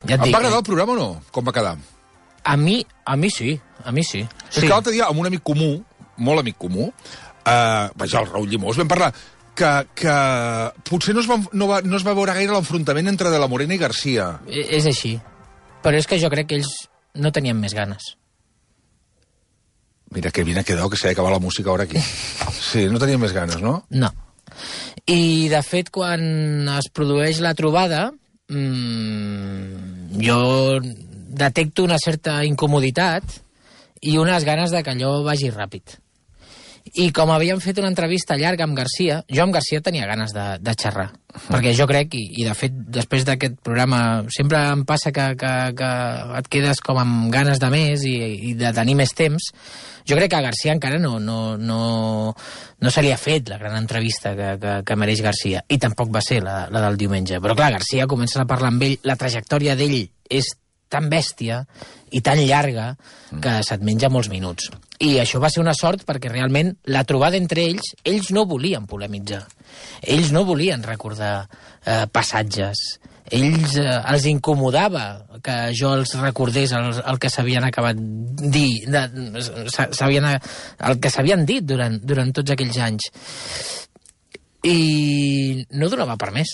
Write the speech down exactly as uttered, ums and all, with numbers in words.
Ja et em dic, va agradar eh? el programa o no? Com va quedar? A mi, a mi sí, a mi sí. És que l'altre dia, amb un amic comú, molt amic comú, eh, vaja, el Raül Llimós, vam parlar que, que potser no es, va, no, va, no es va veure gaire l'enfrontament entre De la Morena i Garcia. E- És així. Però és que jo crec que ells no tenien més ganes. Mira, que bien ha quedado que s'ha d'acabar la música ara aquí. Sí, no tenia més ganes, no? No. I, de fet, quan es produeix la trobada, mmm, jo detecto una certa incomoditat i unes ganes de que allò vagi ràpid. I com havíem fet una entrevista llarga amb Garcia, jo amb Garcia tenia ganes de, de xerrar, perquè jo crec, i, i de fet després d'aquest programa sempre em passa que, que, que et quedes com amb ganes de més i, i de tenir més temps. Jo crec que a Garcia encara no, no, no, no se li ha fet la gran entrevista que, que, que mereix Garcia, i tampoc va ser la, la del diumenge. Però clar, Garcia comença a parlar amb ell, la trajectòria d'ell és tan bèstia i tan llarga que se't menja molts minuts. I això va ser una sort perquè realment la trobada entre ells, ells no volien polemitzar. Ells no volien recordar eh, passatges. Ells eh, els incomodava que jo els recordés el, el que s'havien acabat dir, de, s'havien, el que s'havien dit durant, durant tots aquells anys. I no donava per més.